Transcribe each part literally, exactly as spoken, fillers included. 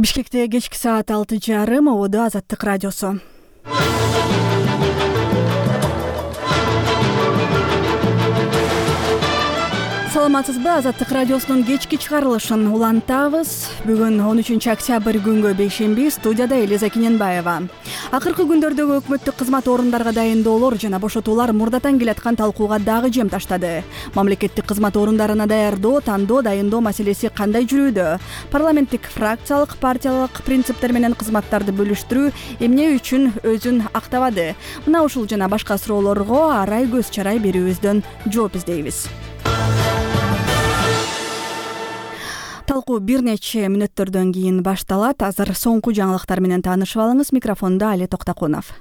Бишкекте кечки саат алты жарым ободо Азаттык радиосу. Саламатсызбы? Азаттык радиосунун кечки чыгарылышын улантабыз. Бүгүн он үчүнчү октябрь күнгө бейшемби, студияда Элиза Кененбаева. Акыркы күндөрдөгү өкмөттүк кызмат орундарга дайындоолор жана бошотуулар мурдатан келаткан талкууга дагы жем таштады. Мамлекеттик кызмат орундарына даярдоо, тандоо, дайындоо маселеси кандай жүрүүдө? Парламенттик фракциялык, партиялык принциптер менен кызматтарды бөлүштүрүү эмне үчүн өзүн актабады? Мына ушул жана башка суроолорго арай көз чарай берүүбүздөн жооп издейбиз. Талкуу бир нече мүнөттөрдөн кийин башталат. Азыр соңку жаңылыктар менен таанышып алыңыз. Микрофондо Али Токтокунов.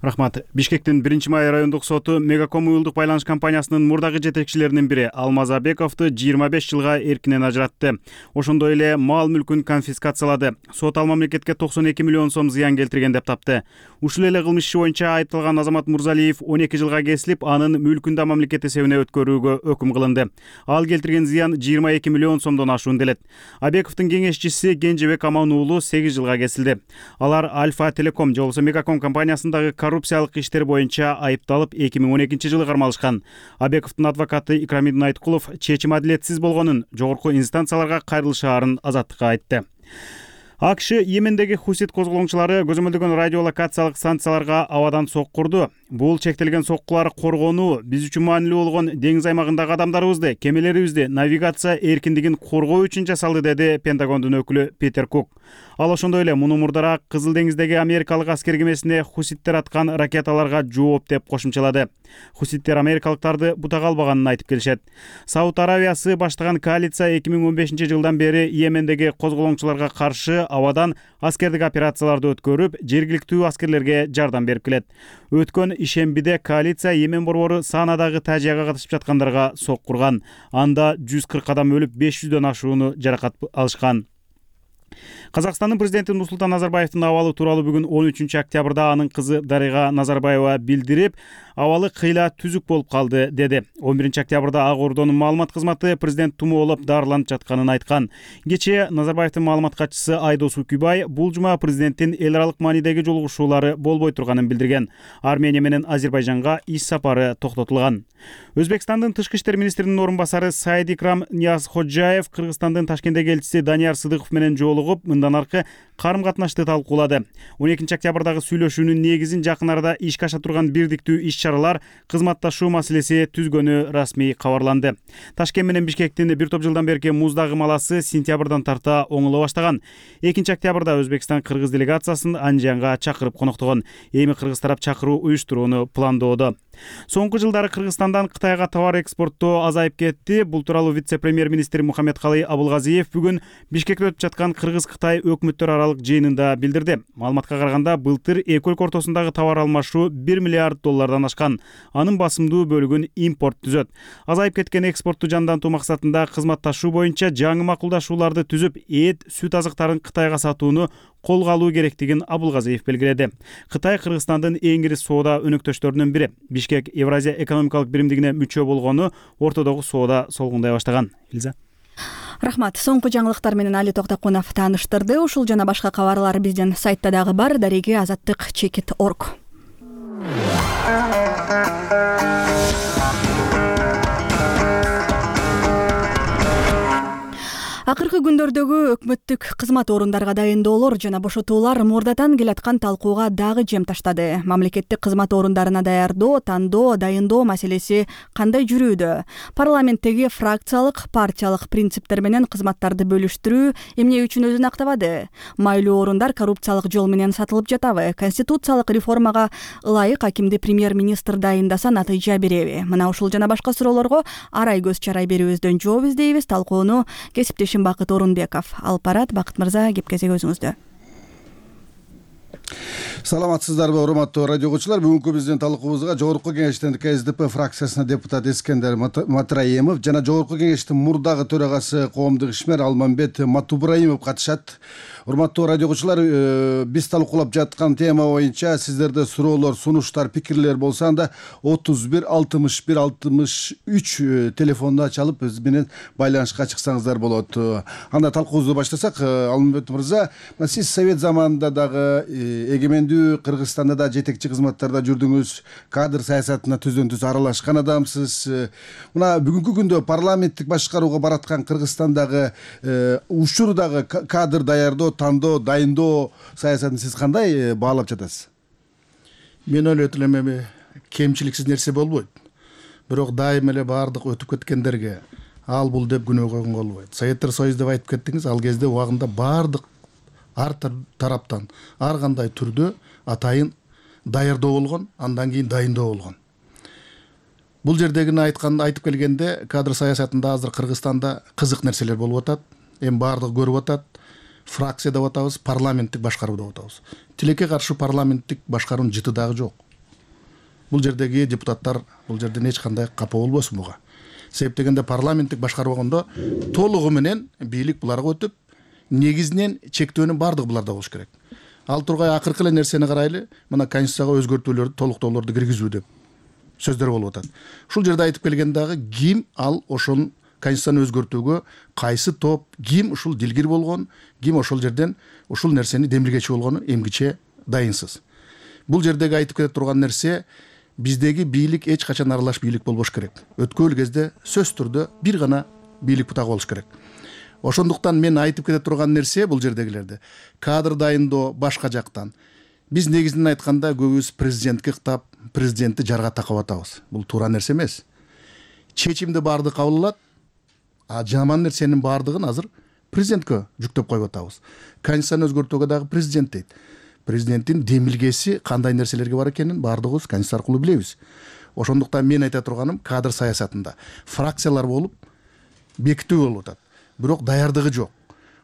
Рахмат. Бишкектин биринчи май райондук соту Мегаком уюлдук байланыш компаниясынын мурдагы жетекчилеринин бири Алмаз Абековду жыйырма беш жылга эркинен ажыратты. Ошондой эле мал мүлкүн конфискациялады. Сот ал мамлекетке токсон эки миллион сом зыян келтирген деп тапты. Ушул эле кылмыш иши боюнча айыпталган Азамат Мурзалиев он эки жылга кесилип, анын мүлкүн да мамлекет эсебине өткөрүүгө өкүм кылынды. Ал келтирген зыян жыйырма эки миллион сомдон ашуун делет. Абековдун кеңешчиси Кенжебек Аман уулу сегиз жылга кесилди. Алар Альфа Телеком же болбосо Мегаком компаниясындагы коррупциялык иштер боюнча айыпталып эки миң он экинчи жылы кармалышкан. Абековдун адвокаты Икрамидин Айткулов чечим адилетсиз болгонун, жогорку инстанцияларга кайрылышаарын Азаттыкка айтты. АКШ Йемендеги хусит козголоңчулары көзөмөлдөгөн радиолокациялык станцияларга абадан соккурду. Бул чектелген соккулар коргонуу биз үчүн маанилүү болгон деңиз аймагындагы адамдарыбызды, кемелерибизди навигация эркиндигин коргоо үчүн жасалды, деди Пентагондун өкүлү Питер Кук. Ал ошондой эле муну мурдараак Кызыл деңиздеги америкалык аскер кемесине хуситтер аткан ракеталарга жооп деп кошумчалады. Хуситтер америкалыктарды бутага албаганын айтып келишет. Сауд Аравиясы баштаган коалиция эки миң он бешинчи жылдан бери Йемендеги козголоңчуларга каршы абадан аскердик операцияларды өткөрүп, жергиликтүү аскерлерге жардам берип келет. Өткөн ишембиде коалиция Йемен борбору Санадагы тажияга катышып жаткандарга соккурган. Анда жүз кырк адам өлүп, беш жүздөн ашууну жаракат алышкан. Казакстандын президенти Нурсултан Назарбаевдин абалы тууралуу бүгүн он үчүнчү октябрда анын кызы Дарига Назарбаева билдирип, абалы кыйла түзүк болуп калды, деди. он биринчи октябрда Ак Ордонун маалымат кызматы президент тумоолоп дарыланып жатканын айткан. Кечээ Назарбаевдин маалымат катчысы Айдос Укубай бул жума президенттин эл аралык маанидеги жолугушуулары болбой турганын билдирген. Армения менен Азербайжанга иш сапары токтотулган. Өзбекстандын тышкы иштер министринин орун басары Саид Икрам Ниязходжаев Кыргызстандын Ташкенттеги элчиси Данияр Сыдыков менен жолугуп, мындан аркы карым катнашты талкуулады. он экинчи октябрдагы сүйлөшүүнүн негизин жакын арада ишке аша турган бирдиктүү иш-чаралар кызматташуу маселеси түзгөнү расмий кабарланды. Ташкент менен Бишкектин бир топ жылдан берки муздагы маласы сентябрдан тарта оңоло баштаган. экинчи октябрда Өзбекстан Кыргыз делегациясын Анжиянга чакырып коноктогон. Эми кыргыз тарап чакыруу уюштурууну пландоодо. Соңку жылдары Кыргызстандан Кытайга товар экспорттоо азайып кетти. Бул тууралуу вице-премьер-министр Мухаммедкалый Абылгазиев бүгүн Бишкекте өтүп жаткан Кыргыз-Кытай өкмөттөр аралык жыйынында билдирди. Маалыматка караганда, былтыр эки өлкө ортосундагы товар алмашуу бир миллиард доллардан ашкан. Анын басымдуу бөлүгүн импорт түзөт. Азайып кеткен экспортту жандантуу максатында кызматташуу боюнча жаңы макулдашууларды түзүп, эт, сүт азыктарын Кытайга сатууну колго алуу керектигин Абылгазиев белгиледи. Кытай Кыргызстандын эң ири соода өнөктөштөрүнүн бири. Бишкек Евразия экономикалык биримдигине мүчө болгону ортодогу соода солгундай баштаган. Илза. Рахмат. Соңку жаңылыктар менен Али Токтокунов тааныштырды. Ушул жана башка кабарлар биздин сайтта дагы бар. Дареги азаттык чекит точка орг. Акыркы күндөрдөгү өкмөттүк кызмат орундарга дайындоолор жана бошотуулар мурдатан келаткан талкууга дагы жем таштады. Мамлекеттик кызмат орундарына даярдоо, тандоо, дайындоо маселеси кандай жүрүүдө? Парламенттеги фракциялык, партиялык принциптер менен кызматтарды бөлүштүрүү эмне үчүн өзүн актабады? Майлуу орундар коррупциялык жол менен сатылып жатабы? Конституциялык реформага ылайык акимди премьер-министр дайындаса натыйжа береби? Мына ушул жана башка суроолорго арай көз чарай берүүбүздөн жооп издейбиз. Талкууну кесиптешим Бакыт Орунбеков алып барат. Бакыт мырза, кеп кезек өзүңүздө. Саламатсыздарбы урматтуу радио угуучулар. Бүгүнкү биздин талкуубузга Жогорку Кеңештин КСДП фракциясына депутат Эскендер Матраимов жана Жогорку Кеңештин мурдагы төрагасы коомдук ишмер Алмамбет Матубраимов катышат. Урматтуу радио угуучулар, биз талкуулап жаткан тема боюнча сиздерде суроолор, сунуштар, пикирлер болсо анда отуз бир алтымыш бир алтымыш үч телефонуна чалып биз менен байланышка чыксаңыздар болот. Анда талкуубузду баштасак, Алмамбет мырза, сиз совет заманында дагы эгемендүү Кыргызстанда да жетекчи кызматтарда жүрдүңүз, кадр саясатына түздөн түз аралашкан адамсыз. Мына бүгүнкү күндө парламенттик башкарууга бараткан Кыргызстандагы учурдагы кадр даярдоо, тандоо, дайындоо саясатын сиз кандай баалап жатасыз? Мен ойлойт элем, кемчиликсиз нерсе болбойт. Бирок дайым эле баардык өтүп кеткендерге ал бул деп күнөө койгонго болбойт. Советтер Союзу деп айтып кеттиңиз, ал кезде убагында баардык ар тараптан ар кандай түрдө атайын даярдоо болгон, андан кийин дайындоо болгон. Бул жердегини айтканда айтып келгенде, кадр саясатында азыр Кыргызстанда кызык нерселер болуп атат. Эми баардыгы көрүп атат. Фракция деп атабыз, парламенттик башкаруу деп атабыз. Тилекке каршы парламенттик башкаруунун жыты дагы жок. Бул жердеги депутаттар бул жерден эч кандай капа болбосун буга. Себеп дегенде парламенттик башкаруу болгондо толугу менен бийлик буларга өтүп, негизинен чектөөнүн баардыгы буларда болуш керек. Ал тургай акыркы эле нерсени карайлы, мына конституцияга өзгөртүүлөрдү, толуктоолорду киргизүү деп сөздөр болуп атат. Ушул жерде айтып келген дагы ким ал ошол конституцияны өзгөртүүгө кайсы топ, ким ушул дилгир болгон, ким ошол жерден ушул нерсени демилгечи болгону эмгиче дайынсыз. Бул жердеги айтып кете турган нерсе, биздеги бийлик эч качан аралаш бийлик болбош керек. Өткөн кезде сөз түрдө бир гана бийлик бутагы болуш керек. Ошондуктан мен айтып кете турган нерсе бул жердегилерде кадр дайындоо башка жактан. Биз негизинен айтканда көбүбүз президентке кытап, президентти жарга такап атабыз. Бул туура нерсе эмес. Чечимди баардык кабыл алат, а жаман нерсенин баардыгын азыр президентке жүктөп коюп атабыз. Конституцияны өзгөртүүгө дагы президент дейт. Президенттин демилгеси кандай нерселерге бар экенин баардыгыбыз конституция аркылуу билебиз. Ошондуктан мен айта турганым, кадр саясатында фракциялар болуп бекитүү болуп атат. Бирок даярдыгы жок.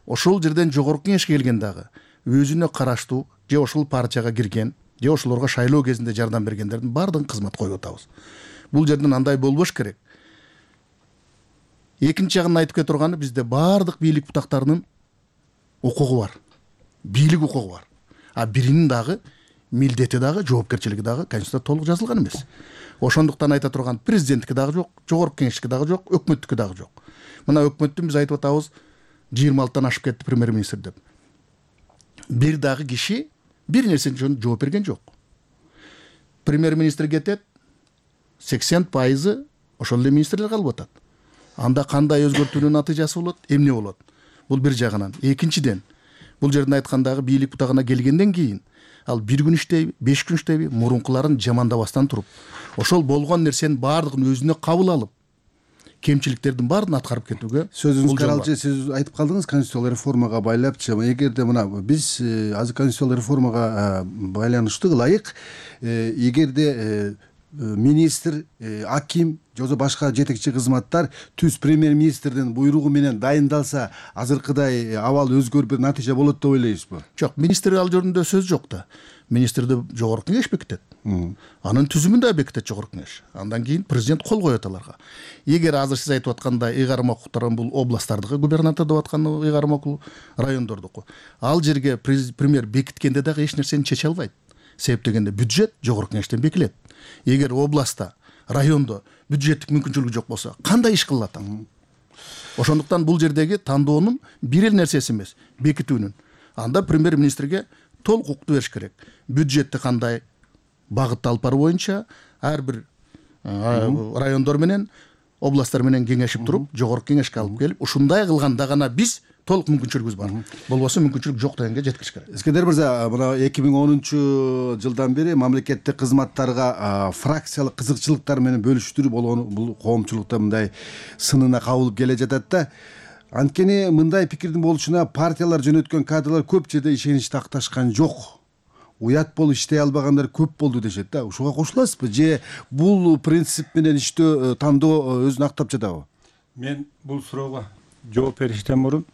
Ошол жерден жогорку кеңешке келген дагы өзүнө караштуу же ошол партияга кирген, же ошолорго шайлоо кезинде жардам бергендердин баардыгын кызмат коюп атабыз. Бул жерден андай болбош керек. Экинчи жагын айтып кете турганы, бизде баардык бийлик бутактарынын укугу бар. Бийлик укугу бар. А биринин дагы милдети дагы, жоопкерчилиги дагы конституцияда толук жазылган эмес. Ошондуктан айта турган, президенттики дагы жок, жогорку кеңештики дагы жок, өкмөттүкү дагы жок. Мына өкмөттүн биз айтып атабыз, жыйырма алтыдан ашып кетти премьер-министр деп. Бир дагы киши бир нерсе үчүн жооп берген жок. Премьер-министр кетет, сексен пайызы ошол эле министрлер калып атат. Анда кандай өзгөртүүнүн натыйжасы болот, эмне болот? Бул бир жагынан. Экинчиден, бул жерден айткандагы бийлик бутагына келгенден кийин ал бир күн иштейби, беш күн иштейби, мурункуларын жамандабастан туруп, ошол болгон нерсенин баардыгын өзүнө кабыл алып, кемчиликтердин баарын аткарып кетүүгө. Сөзүңүз каралчы, сиз айтып калдыңыз конституциялык реформага байлапчы. Эгерде мына биз азыр конституциялык реформага байланыштуу ылайык, эгерде министр, аким же башка жетекчи кызматтар түз премьер-министрдин буйругу менен дайындалса, азыркыдай абал өзгөрүп натыйжа болот деп ойлойсузбу? Жок, министр ал жеринде сөз жок да. Министрди жогорку кеңеш бекитет. Анын түзүмүн да бекитет жогорку кеңеш. Андан кийин президент кол коет аларга. Эгер азыр сиз айтып аткандай ыйгарым окуктарын бул областтардагы губернатор деп аткан ыйгарым окуу райондордуку. Ал жерге премьер бекиткенде дагы эч нерсени чече албайт. Себеп дегенде бюджет жогорку кеңештен бекилет. Эгер областта, райондо бюджеттик мүмкүнчүлүгү жок болсо, кандай иш кылат аны? Ошондуктан бул жердеги тандоонун бир эле нерсеси эмес, бекитүүнүн. Анда премьер-министрге толук укукту бериш керек. Бюджетти кандай багытты алып баруу боюнча ар бир райондор менен, областтар менен кеңешип туруп, жогорку кеңешке алып келип, ушундай кылганда гана биз толук мүмкүнчүлүгүбүз бар. Болбосо мүмкүнчүлүк жок дегенге жеткириш керек. Эскендер мырза, мына эки миң онунчу жылдан бери мамлекеттик кызматтарга фракциялык кызыкчылыктар менен бөлүштүрүү болгон бул коомчулукта мындай сынына кабылып келе жатат да. Анткени мындай пикирдин болушуна партиялар жөнөткөн кадрлар көп жерде ишеничти акташкан жок. Уят болуп иштей албагандар көп болду дешет да. Ушуга кошуласызбы же бул принцип менен иштөө, тандоо өзүн актап жатабы? Мен бул суроого жооп бериштен мурун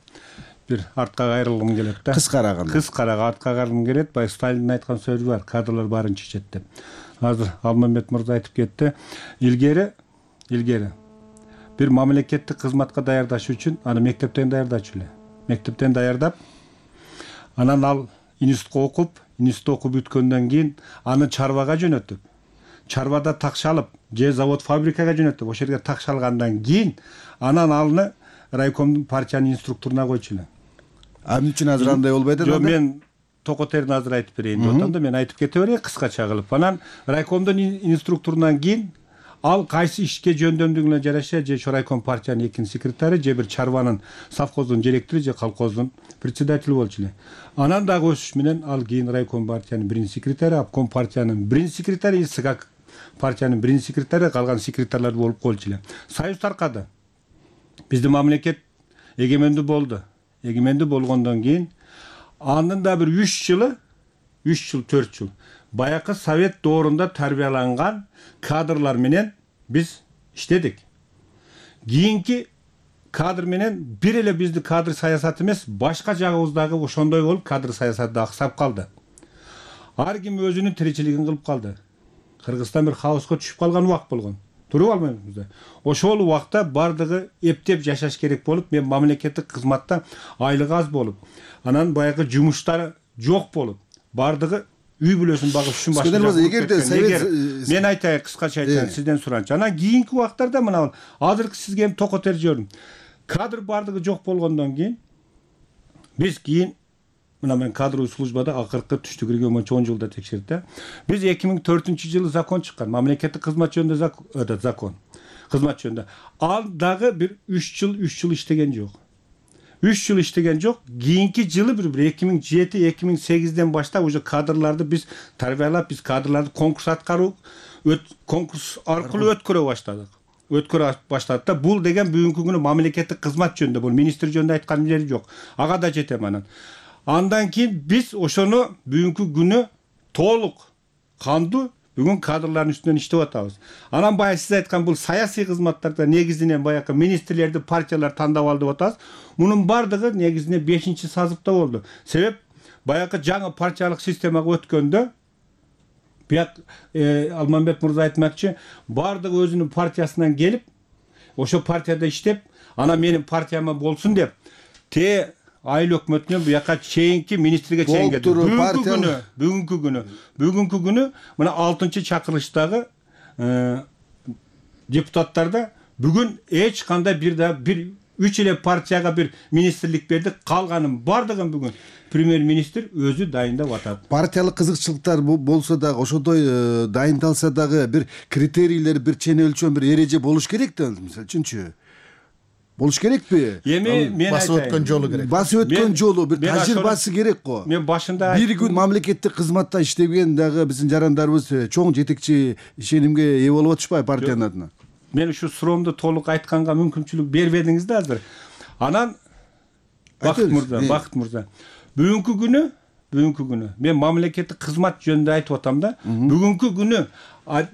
бир артка кайрылгым келет да. Кыскараганда. Кыскарак артка кайрылгым келет. Баягы Сталиндин айткан сөзү бар. Кадрлар баарын чечет деп. Азыр Алмамбет мырза айтып кетти. Илгери, илгери бир мамлекеттик кызматка даярдаш үчүн аны мектептен даярдачу эле. Мектептен даярдап, анан ал институтка окуп, институтта окуп бүткөндөн кийин аны чарбага жөнөтүп, чарбада такшалып, же завод фабрикага жөнөтүп, ошол жерге такшалгандан кийин анан алны райкомдун партиянын инструктуруна койчу эле. А эмне үчүн азыр андай болбойт эле? Жок, мен токотерин азыр айтып берейин деп атам да, мен айтып кете берейин кыскача кылып. Анан райкомдун инструктурунан кийин ал кайсы ишке жөндөмдүгүнө жараша же райком партиянын экинчи секретары, же бир чарбанын совхоздун директору, же колхоздун председатели болчу эле. Анан дагы өсүш менен ал кийин райком партиянын биринчи секретары, обком партиянын биринчи секретары, СК партиянын биринчи секретары, калган секретарлар болуп койчу эле. Союз таркады. Биздин мамлекет эгемендүү болду. Эгемендүү болгондон кийин анын да бир үч жылы, үч жыл, төрт жыл баякы совет доорунда тарбияланган кадрлар менен биз иштедик. Кийинки кадр менен бир эле бизди кадр саясаты эмес, башка жагыбыздагы ошондой болуп кадр саясаты да аксап калды. Ар ким өзүнүн тиричилигин кылып калды. Кыргызстан бир хаоска түшүп калган убак болгон. Туруп албайбыз да. Ошол убакта бардыгы эптеп жашаш керек болуп, мен мамлекеттик кызматта айлыгы аз болуп, анан баягы жумуштары жок болуп, бардыгы үй бүлөсүн багыш үчүн башка. Эгерде совет, мен айтайын, кыскача айтайын, сизден суранчы. Анан кийинки убактарда мына азыркы сизге эми токотер жөрүм. Кадр бардыгы жок болгондон кийин биз кийин мына мен кадровый службада акыркы түштү кирген боюнча он жылда текшердик да. Биз эки миң төртүнчү жылы закон чыккан, мамлекеттик кызмат жөнүндө закон. Кызмат жөнүндө. Ал дагы бир үч жыл, үч жыл иштеген жок. үч жыл иштеген жок. Кийинки жылы бир эки миң жети, эки миң сегизден баштап уже кадрларды биз тарбиялап, биз кадрларды конкурс аткаруу, конкурс аркылуу өткөрө баштадык. Өткөрө баштадык да. Бул деген бүгүнкү күнү мамлекеттик кызмат жөнүндө, бул министр жөнүндө айткан жери жок. Ага да жетем анан. Андан кийин биз ошону бүгүнкү күнү толук кандуу бүгүн кадрлардын үстүнөн иштеп атабыз. Анан баягы сиз айткан бул саясий кызматтарда негизинен баягы министрлерди партиялар тандап алды деп атабыз. Мунун бардыгы негизинен бешинчи сазыпта болду. Себеп баягы жаңы партиялык системага өткөндө бияк Алмамбет мырза айтмакчы, бардыгы өзүнүн партиясынан келип, ошо партияда иштеп, анан менин партияма болсун деп, те айыл өкмөтүнө буяка чейинки министрге чейин келди. Бүгүнкү күнү, бүгүнкү күнү, бүгүнкү күнү мына алтынчы чакырылыштагы депутаттарда бүгүн эч кандай бир да бир үч эле партияга бир министрлик берди, калганын бардыгын бүгүн премьер-министр өзү дайындап атат. Партиялык кызыкчылыктар болсо дагы, ошондой дайындалса дагы бир критерийлер, бир чене өлчөм, бир эреже болуш керек да, мисалы үчүнчү. Болуш керекпи? Эми мен басып өткөн жолу керек. Басып өткөн жолу, бир тажрыйбасы керек го. Мен башында бир күн мамлекеттик кызматта иштеген дагы биздин жарандарыбыз чоң жетекчи ишенимге ээ болуп атышпайбы партиянын адына? Мен ушу суроомду толук айтканга мүмкүнчүлүк бербедиңиз да азыр. Анан Бакыт мырза, Бакыт мырза. Бүгүнкү күнү, бүгүнкү күнү мен мамлекеттик кызмат жөнүндө айтып атам да. Бүгүнкү күнү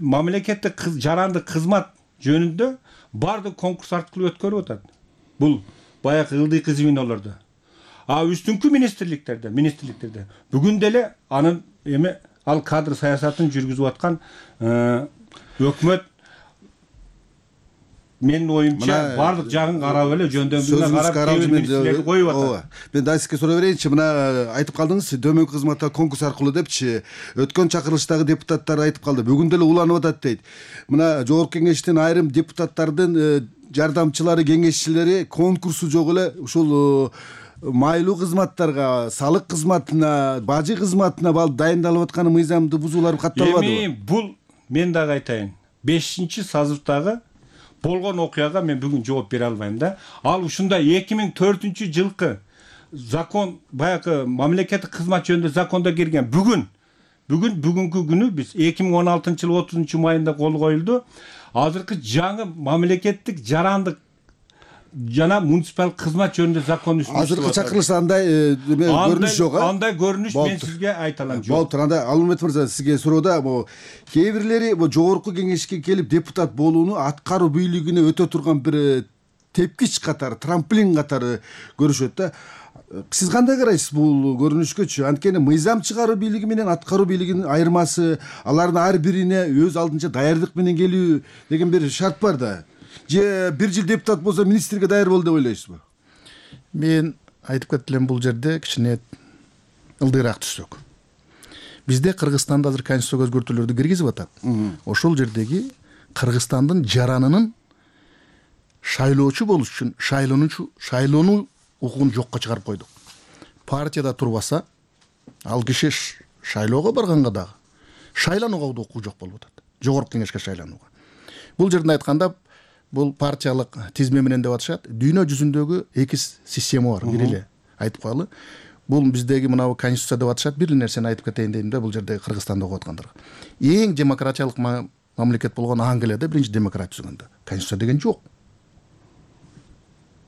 мамлекеттик жарандык кызмат жөнүндө бардык конкурс аркылуу өткөрүп атат. Бул баягы ылдыйкы звенолордо. А үстүнкү министрликтерде, министрликтерде бүгүн деле анын эми ал кадр саясатын жүргүзүп аткан өкмөт менин оюмча бардык жагын карап эле жөндөмдүгүнө карап министрлерди коюп атат. Мен да сизге суроо берейинчи, мына айтып калдыңыз, дөмөнкү кызматта конкурс аркылуу депчи, өткөн чакырылыштагы депутаттар айтып калды. Бүгүн деле уланып атат дейт. Мына жогорку кеңештин айрым депутаттардын жардамчылары, кеңешчилери конкурсу жок эле ушул майлуу кызматтарга, салык кызматына, бажы кызматына бал дайындалып атканы мыйзамды бузуулар катталбадыбы? Эми бул мен дагы айтайын. бешинчи сазывдагы болгон окуяга мен бүгүн жооп бере албайм да. Ал ушундай эки миң төртүнчү жылкы закон, баягы мамлекеттик кызмат жөнүндө закондо кирген. Бүгүн бүгүн бүгүнкү күнү биз эки миң он алтынчы жылы отузунчу майында кол коюлду. Азыркы жаңы мамлекеттик жарандык жана муниципалдык кызмат жөнүндө закон үстүндө. Азыркы чакырылышта андай көрүнүш жок, а? Андай көрүнүш мен сизге айта алам жок. Болуптур. Анда Алмамбет мырза, сизге суроода кээ бирлери жогорку кеңешке келип депутат болууну аткаруу бийлигине өтө турган бир тепкич катары, трамплин катары көрүшөт да. Сиз кандай карайсыз бул көрүнүшкөчү? Анткени мыйзам чыгаруу бийлиги менен аткаруу бийлигинин айырмасы, алардын ар бирине өз алдынча даярдык менен келүү деген бир шарт бар да. Же бир жыл депутат болсо министрге даяр бол деп ойлойсузбу? Мен айтып кетип элем, бул жерде кичине ылдыйраак түшсөк. Бизде Кыргызстанда азыр конституцияга өзгөртүүлөрдү киргизип атат. Ошол жердеги Кыргызстандын жаранынын шайлоочу болуш үчүн шайлоонучу шайлоону укугун жокко чыгарып койдук. Партияда турбаса, ал киши шайлоого барганга дагы шайланууга да укугу жок болуп атат. Жогорку кеңешке шайланууга. Бул жерден айтканда, бул партиялык тизме менен деп атышат. Дүйнө жүзүндөгү эки система бар. Бир эле айтып коелу. Бул биздеги мынабу конституция деп атышат. Бир эле нерсени айтып кетейин дейм да, бул жерде Кыргызстанда окуп аткандарга. Эң демократиялык мамлекет болгон Англияда биринчи демократия түзгөндө конституция деген жок.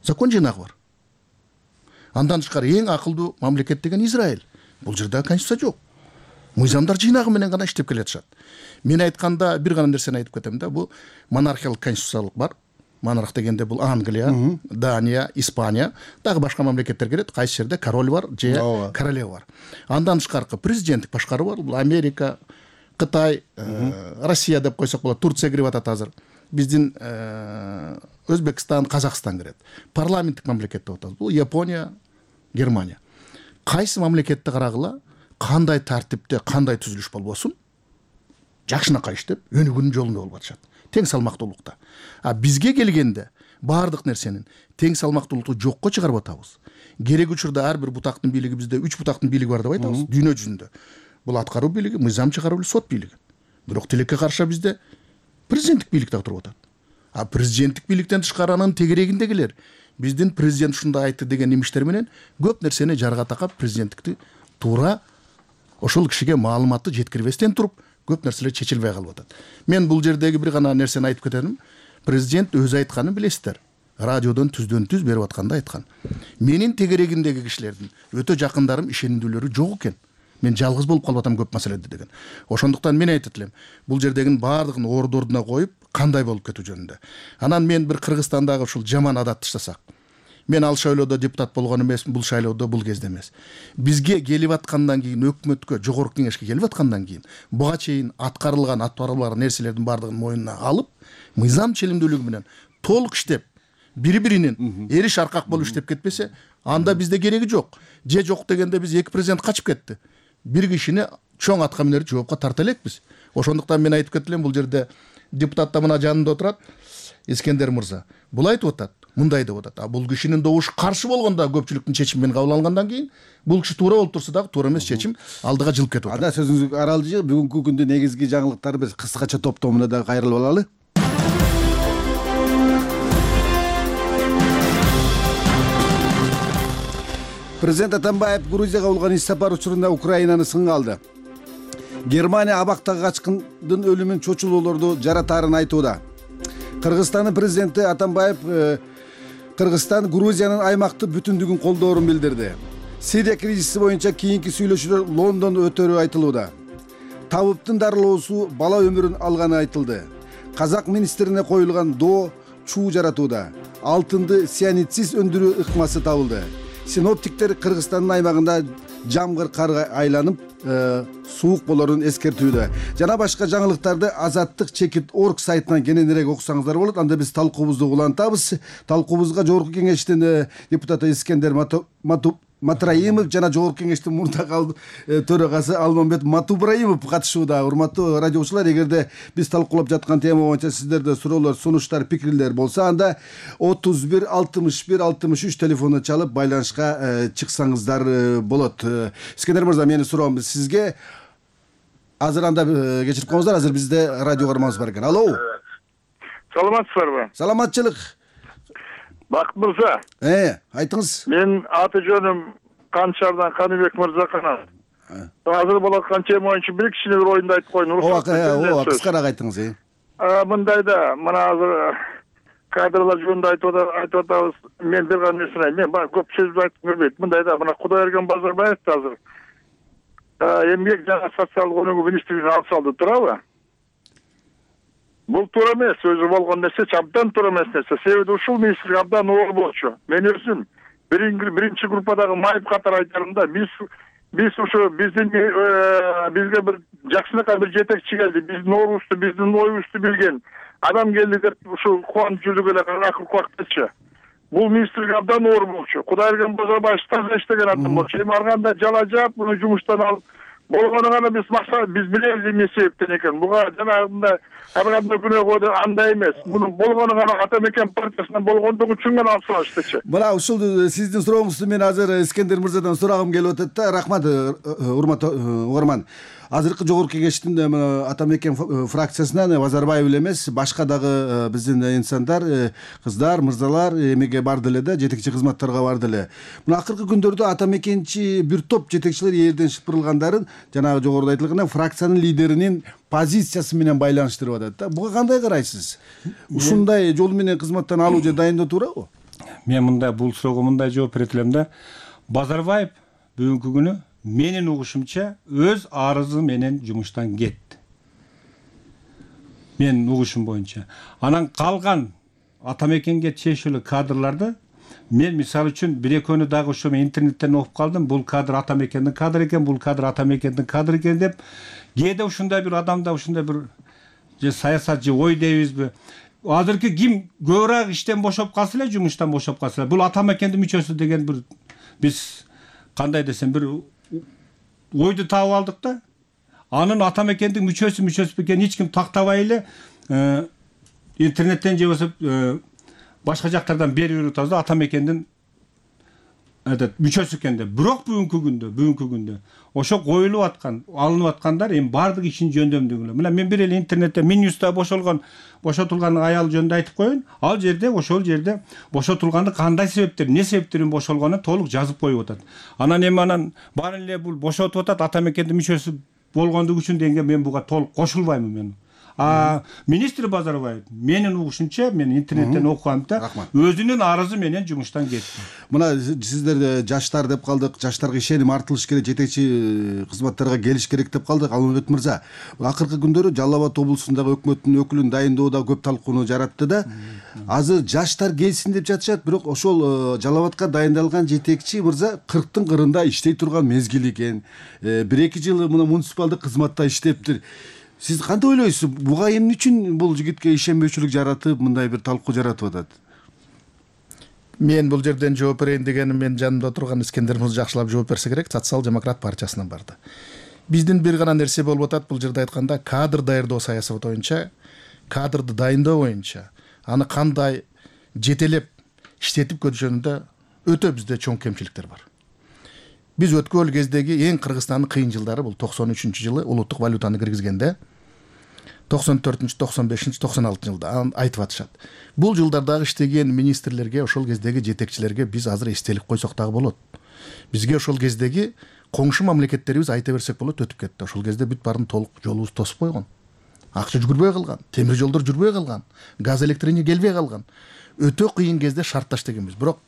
Закон жыйнагы бар. Андан тышкары эң акылдуу мамлекет деген Израиль. Бул жерде конституция жок. Мыйзамдар жыйнагы менен гана иштеп келатышат. Мен айтканда бир гана нерсени айтып кетем да, бул монархиялык конституциялык бар. Монарх дегенде бул Англия, Дания, Испания, дагы башка мамлекеттер кирет. Кайсы жерде король бар, же королева бар. Андан тышкаркы президенттик башкаруу бар. Бул Америка, Кытай, Россия деп койсок болот. Турция кирип атат азыр. Биздин Өзбекстан, Казакстан кирет. Парламенттик мамлекет деп атабыз. Бул Япония, Германия. Кайсы мамлекетти карагыла, кандай тартипте, кандай түзүлүш болбосун, жакшынакай иштеп, өнүгүүнүн жолунда болуп атышат. Тең салмактуулукта. А бизге келгенде баардык нерсенин тең салмактуулукту жокко чыгарып атабыз. Керек учурда ар бир бутактын бийлиги, бизде үч бутактын бийлиги бар деп айтабыз дүйнө жүзүндө. Бул аткаруу бийлиги, мыйзам чыгаруу бийлиги, сот бийлиги. Бирок тилекке каршы бизде президенттик бийлик дагы туруп атат. А президенттик бийликтен тышкары анын тегерегиндегилер биздин президент ушундай айтты деген немиштер менен көп нерсени жарга такап, президенттикти туура ошол кишиге маалыматты жеткирбестен туруп көп нерселер чечилбей калып атат. Мен бул жердеги бир гана нерсени айтып кетем. Президент өзү айтканын билесиздер. Радиодон түздөн түз берип атканда айткан. Менин тегерегимдеги кишилердин өтө жакындарым, ишенимдүүлөрү жок экен. Мен жалгыз болуп калып атам көп маселеде деген. Ошондуктан мен айтып элем, бул жердегин баардыгын орду ордуна коюп, кандай болуп кетүү жөнүндө. Анан мен бир Кыргызстандагы ушул жаман адатты таштасак. Мен ал шайлоодо депутат болгон эмесмин, бул шайлоодо бул кезде эмес. Бизге келип аткандан кийин, өкмөткө, жогорку кеңешке келип аткандан кийин, буга чейин аткарылган, аткарылбаган нерселердин баардыгын мойнуна алып, мыйзам ченемдүүлүгү менен толук иштеп, бири-биринин эриш аркак болуп иштеп кетпесе, анда бизде кереги жок. Же жок дегенде биз эки президент качып кетти. Бир кишини чоң атка минерди жоопко тарта элекпиз. Ошондуктан мен айтып кетилем, бул жерде депутат да мына жанында отурат, Искендер мырза. Бул айтып атат, мындай деп атат. А бул кишинин добушу каршы болгондо көпчүлүктүн чечими менен кабыл алынгандан кийин, бул киши туура болуп турса дагы туура эмес чечим алдыга жылып кетип атат. Ада сөзүңүз аралжы, бүгүнкү күндүн негизги жаңылыктары биз кыскача топтомуна да кайрылып алалы. Президент Атамбаев Грузияга болгон иш сапар учурунда Украинаны сынга алды. Германия абактагы качкындын өлүмүн чочулоолорду жаратаарын айтууда. Кыргызстандын президенти Атамбаев Кыргызстан Грузиянын аймактык бүтүндүгүн колдоорун билдирди. Сирия кризиси боюнча кийинки сүйлөшүүлөр Лондондо өтөрү айтылууда. Табыптын дарылоосу бала өмүрүн алганы айтылды. Казак министрине коюлган доо чуу жаратууда. Алтынды цианидсиз өндүрүү ыкмасы табылды. Синоптиктер Кыргызстандын аймагында жамгыр карга айланып, суук болорун эскертүүдө. Жана башка жаңылыктарды Азаттык чекит точка орг сайтынан кененирээк окусаңыздар болот. Анда биз талкуубузду улантабыз. Талкуубузга жогорку кеңештин депутаты Искендер Матраимов жана жогорку кеңештин мурдагы төрагасы Алмамбет Матубраимов катышууда. Урматтуу радиочулар, эгерде биз талкуулап жаткан тема боюнча сиздерде суроолор, сунуштар, пикирлер болсо, анда отуз бир алтымыш бир алтымыш үч телефону чалып байланышка чыксаңыздар болот. Искендер мырза, менин суроом сизге. Азыр анда кечирип коңуздар, азыр бизде радио кармабыз бар экен. Алло. Саламатсыздарбы? Саламатчылык. Бакыт мырза. Э, айтыңыз. Мен аты жөнүм Канчардан Каныбек Мырзаканов. Азыр болот аткан тема боюнча бир кичине бир оюнду айтып коеюн. Ооба, кыскараак айтыңыз. Э. Мындайда, мына азыр кадрлар жөнүндө айтып атабыз. Мен бир гана нерсени айтайын. Мен көп сөз айтып келбейт. Мындайда, мына Кудайберген Базарбаев азыр эмгек жана социалдык өнүгүү министрлигине алып салды, туурабы? Бул туура эмес, өзү болгон нерсе абдан туура эмес нерсе. Себеби ушул министрлик абдан оор болчу. Мен өзүм биринчи группадагы майып катары айтарым да, биз биз ушу биздин бизге бир жакшынакай бир жетекчи келди, биздин оорубузду, биздин оюбузду билген адам келди деп ушу кубанып жүрдүк эле акыркы убактачы. Бул министрлик абдан оор болчу. Кудайберген Базарбаев таза иштеген адам болчу. Эми ар кандай жала жаап, муну жумуштан алып болгону гана биз максат биз билебиз эмне себептен экенин. Буга жанагындай ар кандай күнөөгө андай эмес. Муну болгону гана Ата Мекен партиясынан болгондугу үчүн гана алып салыштычы. Мына ушул сиздин сурооңузду мен азыр Искендер мырзадан сурагым келип атат да. Рахмат, урматтуу угарман. Азыркы жогорку кеңештин Ата Мекен фракциясынан Базарбаев эле эмес, башка дагы биздин инсандар, кыздар, мырзалар эмеге барды эле да, жетекчи кызматтарга барды эле. Мына акыркы күндөрдө Ата Мекенчи бир топ жетекчилер элден шыпырылгандарын жанагы жогоруда айтылган фракциянын лидеринин позициясы менен байланыштырып атат да. Буга кандай карайсыз? Ушундай жол менен кызматтан алуу же дайындоо туурабы? Мен мындай бул суроого мындай жооп берет элем да. Базарбаев бүгүнкү күнү менин угушумча өз арызы менен жумуштан кетти. Менин угушум боюнча. Анан калган Ата Мекенге чечилүү кадрларды мен мисалы үчүн бир экөөнү дагы ошо мен интернеттен окуп калдым. Бул кадр Ата Мекендин кадры экен, бул кадр Ата Мекендин кадры экен деп. Кээде ушундай бир адамда ушундай бир же саясат же ой дейбизби? Азыркы ким көбүрөөк иштен бошоп калса эле, жумуштан бошоп калса эле, бул Ата Мекендин мүчөсү деген бир биз кандай десем бир ойду таап алдык да. Анын Ата Мекендин мүчөсү мүчөсү экенин эч ким тактабай эле интернеттен же болбосо башка жактардан берип атабыз да, Ата Мекендин этот мүчөсү экен деп. Бирок бүгүнкү күндө, бүгүнкү күндө ошо коюлуп аткан, алынып аткандар эми баардык ишин жөндөмдүгүнө. Мына мен бир эле интернетте Минюста бошолгон, бошотулган аял жөнүндө айтып коеюн. Ал жерде, ошол жерде бошотулганды кандай себептер, эмне себептерин бошолгонун толук жазып коюп атат. Анан эми анан баары эле бул бошотуп атат Ата Мекендин мүчөсү болгондугу үчүн дегенге мен буга толук кошулбаймын мен. А министр Базарбаев менин угушумча, мен интернеттен окугамда өзүнүн арызы менен жумуштан кетти. Мына сиздер жаштар деп калдык, жаштарга ишеним артылыш керек, жетекчи кызматтарга келиш керек деп калдык. Алмамбет мырза, акыркы күндөрү Жалал Абад облусундагы өкмөттүн өкүлүн дайындоодо көп талкууну жаратты да. Азыр жаштар келсин деп жатышат, бирок ошол Жалал Абадка дайындалган жетекчи мырза кырктын кырында иштей турган мезгил экен. бир эки жыл мына муниципалдык кызматта иштептир. Сиз кантип ойлойсуз? Буга эмне үчүн бул жигитке ишенбөөчүлүк жаратып, мындай бир талкуу жаратып атат? Мен бул жерден жооп берейин дегеним, мен жанымда турган Искендер мырза жакшылап жооп берсе керек, Социал-демократ партиясынан барды. Биздин бир гана нерсе болуп атат бул жерде айтканда, кадр даярдоо саясаты боюнча, кадрды дайындоо боюнча, аны кандай жетелеп иштетип көтүрүшүндө өтө бизде чоң кемчиликтер бар. Биз өткөн кездеги эң Кыргызстандын кыйын жылдары бул токсон үчүнчү жылы улуттук валютаны киргизгенде, токсон төртүнчү, токсон бешинчи, токсон алтынчы жылда айтып атышат. Бул жылдардагы иштеген министрлерге, ошол кездеги жетекчилерге биз азыр эстелик койсок дагы болот. Бизге ошол кездеги коңшу мамлекеттерибиз айта берсек болот, өтүп кетти. Ошол кезде бүт баарын толук жолубуз тосуп койгон. Акча жүгүрбөй калган, темир жолдор жүрбөй калган, газ электроэнергия келбей калган. Өтө кыйын кезде шартташ дегенбиз. Бирок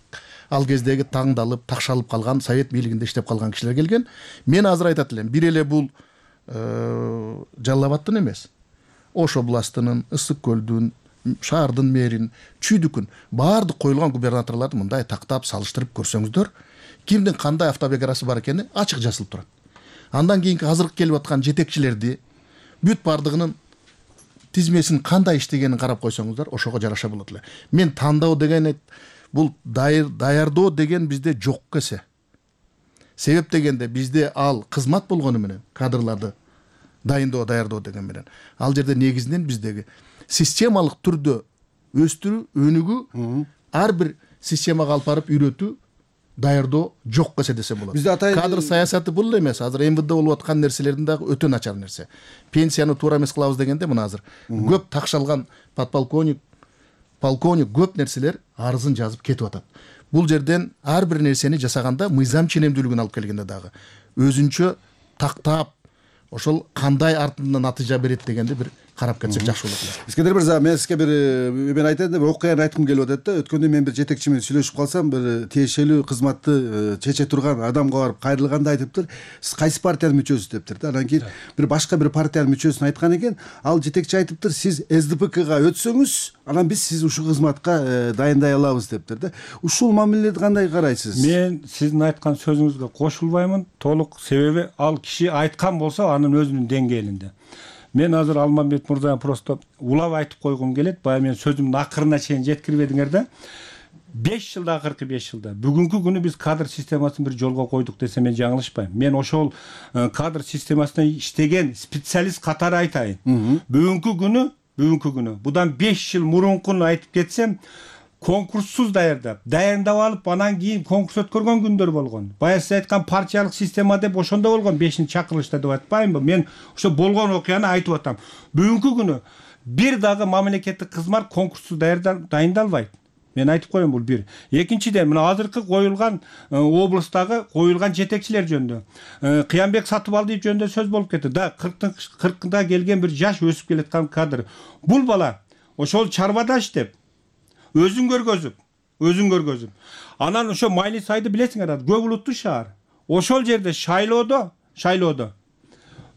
ал кездеги таңдалып, такшалып калган, совет бийлигинде иштеп калган кишилер келген. Мен азыр айтат элем, бир эле бул Жалал Абадтын эмес, Ош областынын, Ысык көлдүн, шаардын мэрин, Чүйдүкүн баардык коюлган губернаторлорду мындай тактап салыштырып көрсөңүздөр, кимдин кандай автобиографиясы бар экени ачык жазылып турат. Андан кийинки азыркы келип аткан жетекчилерди бүт баардыгынын тизмесин кандай иштегенин карап койсоңуздар, ошого жараша болот эле. Мен тандоо деген бул даярдоо деген бизде жок эсе. Себеп дегенде бизде ал кызмат болгону менен, кадрларды дайындоо, даярдоо деген менен. Ал жерде негизинен биздеги системалык түрдө өстүрүү, өнүгүү, ар бир системага алып барып үйрөтүү, даярдоо жок эсе десе болот. Кадр саясаты бул эмес. Азыр эм вэ дэ болуп аткан нерселердин дагы өтө начар нерсе. Пенсияны туура эмес кылабыз дегенде мына азыр көп такшалган подполковник, полковник көп нерселер арызын жазып кетип атат. Бул жерден ар бир нерсени жасаганда мыйзам ченемдүүлүгүн алып келгенде дагы өзүнчө тактап, ошол кандай артында натыйжа берет дегенди бир карап кетсек жакшы болот. Искендер мырза, мен сизге бир мен айтайын деп окуяны айткым келип атат да. Өткөндө мен бир жетекчи менен сүйлөшүп калсам, бир тиешелүү кызматты чече турган адамга барып кайрылганда айтыптыр, сиз кайсы партиянын мүчөсүсүз дептир да. Анан кийин бир башка бир партиянын мүчөсүн айткан экен, ал жетекчи айтыптыр, сиз эс дэ пэ ка өтсөңүз, анан биз сиз ушул кызматка дайындай алабыз дептир да. Ушул мамиледи кандай карайсыз? Мен сиздин айткан сөзүңүзгө кошулбаймын толук, себеби ал киши айткан болсо анын өзүнүн деңгээлинде. Мен азыр Алмамбет мырзаны просто улап айтып койгум келет. Баягы мен сөзүмдүн акырына чейин жеткирбедиңер да. беш жылда, акыркы беш жылда бүгүнкү күнү биз кадр системасын бир жолго койдук десем мен жаңылышпайм. Мен ошол кадр системасында иштеген специалист катары айтайын. Бүгүнкү күнү, бүгүнкү күнү будан беш жыл мурункуну айтып кетсем, конкурссуз даярдап, дайындап алып, анан кийин конкурс өткөргөн күндөр болгон. Баягы сиз айткан партиялык система деп ошондо болгон, бешинчи чакырылышта деп айтпаймынбы? Мен ошо болгон окуяны айтып атам. Бүгүнкү күнү бир дагы мамлекеттик кызмат конкурссуз дайындалбайт. Мен айтып коеюн, бул бир. Экинчиден, мына азыркы коюлган облустагы коюлган жетекчилер жөнүндө, Кыянбек Сатыбалдиев жөнүндө сөз болуп кетти. Да, кыркында келген бир жаш өсүп келаткан кадр. Бул бала ошол чарбада иштеп, өзүн көргөзүп, өзүн көргөзүп. Анан ошо Майли Сайды билесиңер, көп улуттуу шаар. Ошол жерде шайлоодо, шайлоодо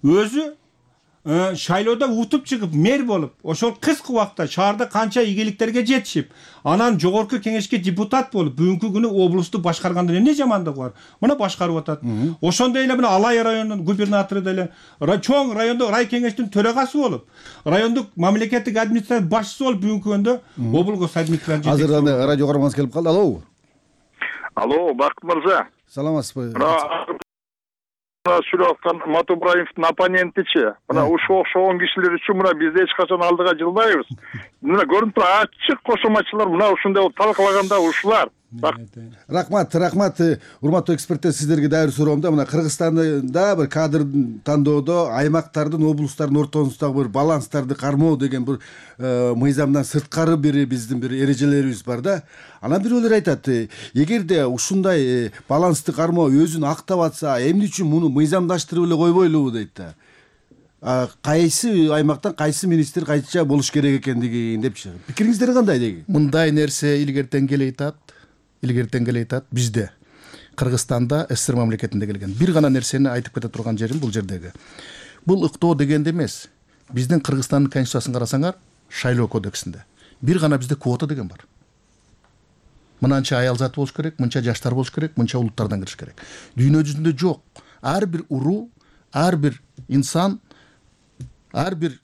өзү шайлоодо утуп чыгып мэр болуп, ошол кыска убакытта шаарда канча ийгиликтерге жетишип, анан жогорку кеңешке депутат болуп, бүгүнкү күнү облусту башкарганда эмне жамандыгы бар? Мына башкарып атат. Ошондой эле мына Алай районунун губернатору деле, чоң райондо рай кеңештин төрагасы болуп, райондук мамлекеттик администрация башчысы болуп, бүгүнкү күндө облгос администрация. Азыр радио көргөнүңүз келип калды. Алло. Алло, Бакыт мырза. Саламатсызбы? Сүйлөп аткан Матубраевдин оппонентичи, мына ушул окшогон кишилер үчүн мына биз эч качан алдыга жылбайбыз. Мына көрүнүп турат, ачык кошоматчылар мына ушундай талкалаганда ушулар. Рахмат, рахмат. Урматтуу эксперттер, сиздерге дайыр суроомда мына Кыргызстанда бир кадр тандоодо аймактардын, облустардын ортосундагы бир баланстарды кармоо деген бир мыйзамдан сырткары бир биздин бир эрежелерибиз бар да. Анан бирөөлөр айтат, эгерде ушундай балансты кармоо өзүн актап атса, эмне үчүн муну мыйзамдаштырып эле койбойлубу дейт да. Кайсы аймактан кайсы министр кайча болуш керек экендиги депчи. Пикириңиздер кандай деги? Мындай нерсе илгертен келе атат. Илгертен келе атат. Бизде Кыргызстанда эс эс эр мамлекетинде келген. Бир гана нерсени айтып кете турган жерим бул жердеги. Бул ыктоо дегенде эмес. Биздин Кыргызстандын конституциясын карасаңар, шайлоо кодексинде бир гана бизде квота деген бар. Мынанча аял заты болуш керек, мынча жаштар болуш керек, мынча улуттардан кириш керек. Дүйнө жүзүндө жок. Ар бир уруу, ар бир инсан, ар бир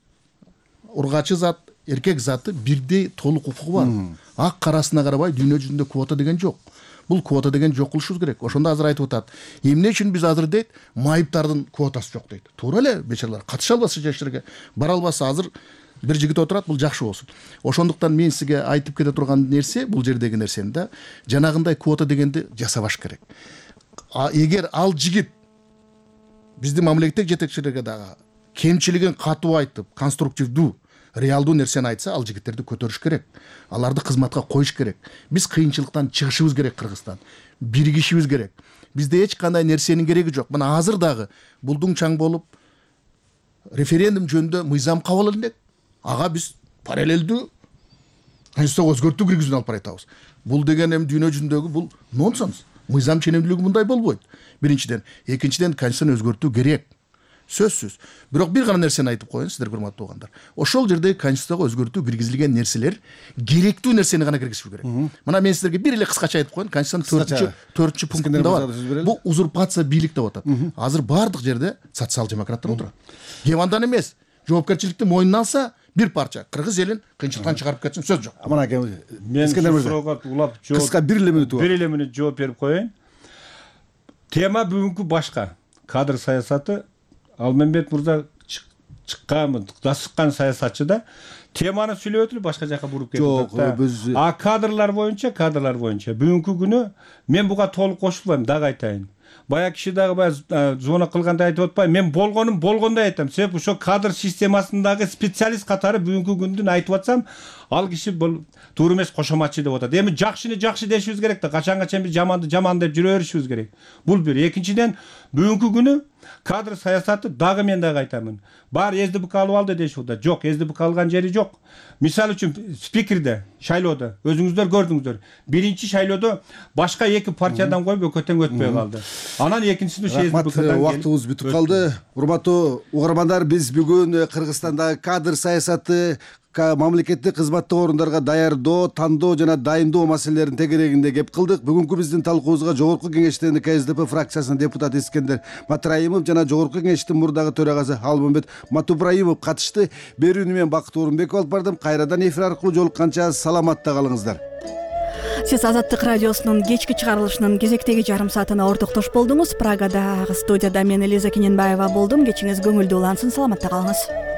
ургачы зат, эркек заты бирдей толук укугу бар. Ак карасына карабай дүйнө жүзүндө квота деген жок. Бул квота деген жок кылышыбыз керек. Ошондо азыр айтып атат. Эмне үчүн биз азыр дейт, майыптардын квотасы жок дейт. Туура эле, бечаралар катыша албаса жашырга, бара албаса азыр бир жигит отурат, бул жакшы болсун. Ошондуктан мен сизге айтып кете турган нерсе, бул жердеги нерсени да, жанагындай квота дегенди жасабаш керек. Эгер ал жигит биздин мамлекеттик жетекчилерге дагы кемчилигин катуу айтып, конструктивдүү, реалдуу нерсени айтса, ал жигиттерди көтөрүш керек. Аларды кызматка коюш керек. Биз кыйынчылыктан чыгышыбыз керек Кыргызстан. Биригишибиз керек. Бизде эч кандай нерсенин кереги жок. Мына азыр дагы булдуң чаң болуп референдум жөнүндө мыйзам кабыл элек. Ага биз параллелдүү конституцияга өзгөртүү киргизүүнү алып баратабыз. Бул деген эми дүйнө жүзүндөгү бул нонсенс. Мыйзам ченемдүүлүгү мындай болбойт. Биринчиден, экинчиден конституцияны өзгөртүү керек. Сөзсүз. Бирок бир гана нерсени айтып коеюн, сиздер урматтуу угандар. Ошол жерде конституцияга өзгөртүү киргизилген нерселер керектүү нерсени гана киргизиш керек. Мына мен сиздерге бир эле кыскача айтып коеюн, конституциянын төртүнчү пунктунда бар. Бул узурпация бийлик деп атат. Азыр бардык жерде социал демократтар отурат. Кем андан эмес, жоопкерчиликти мойнуна алса, бир парча кыргыз элин кыйынчылыктан чыгарып кетсин, сөз жок. Мына мен суроого улап жооп, кыска бир эле мүнөт бар. Бир эле мүнөт жооп берип коеюн. Тема бүгүнкү башка. Кадр саясаты. Алмамбет мырза чыккан, дасыккан саясатчы да. Теманы сүйлөп өтүлүп башка жака буруп кетип атат. А кадрлар боюнча, кадрлар боюнча бүгүнкү күнү мен буга толук кошулбайм, дагы айтайын. Бая киши дагы баягы звонок кылганда айтып атпайм. Мен болгонум болгондой айтам. Себеп ошо кадр системасындагы специалист катары бүгүнкү күндүн айтып атсам, ал киши бул туура эмес кошоматчы деп атат. Эми жакшыны жакшы дешибиз керек да, качанга чейин биз жаманды жаман деп жүрө беришибиз керек. Бул бир. Экинчиден, бүгүнкү күнү Кадр саясаты дагы мен дагы айтамын. Бар СДБК алып алды дешип да. Жок, СДБК алган жери жок. Мисалы үчүн спикерде, шайлоодо өзүңүздөр көрдүңүздөр. Биринчи шайлоодо башка эки партиядан коюп экөө тең өтпөй калды. Анан экинчисинде СДБКдан убактыбыз бүтүп калды. Урматтуу угармандар, биз бүгүн Кыргызстандагы кадр саясаты, мамлекеттик кызматтык орундарга даярдоо, тандоо жана дайындоо маселелеринин тегерегинде кеп кылдык. Бүгүнкү биздин талкуубузга Жогорку Кеңештин КСДП фракциясынын депутаты Искендер Матраимов жана Жогорку Кеңештин мурдагы төрагасы Алмамбет Матубраимов катышты. Берүүнү мен Бакыт Орунбеков алып бардым. Кайрадан эфир аркылуу жолукканча саламатта калыңыздар. Сиз Азаттык радиосунун кечки чыгарылышынын кезектеги жарым саатына ортоктош болдуңуз. Прагадагы студияда мен Элиза Кененбаева болдум. Кечиңиз көңүлдүү улансын, саламатта калыңыз.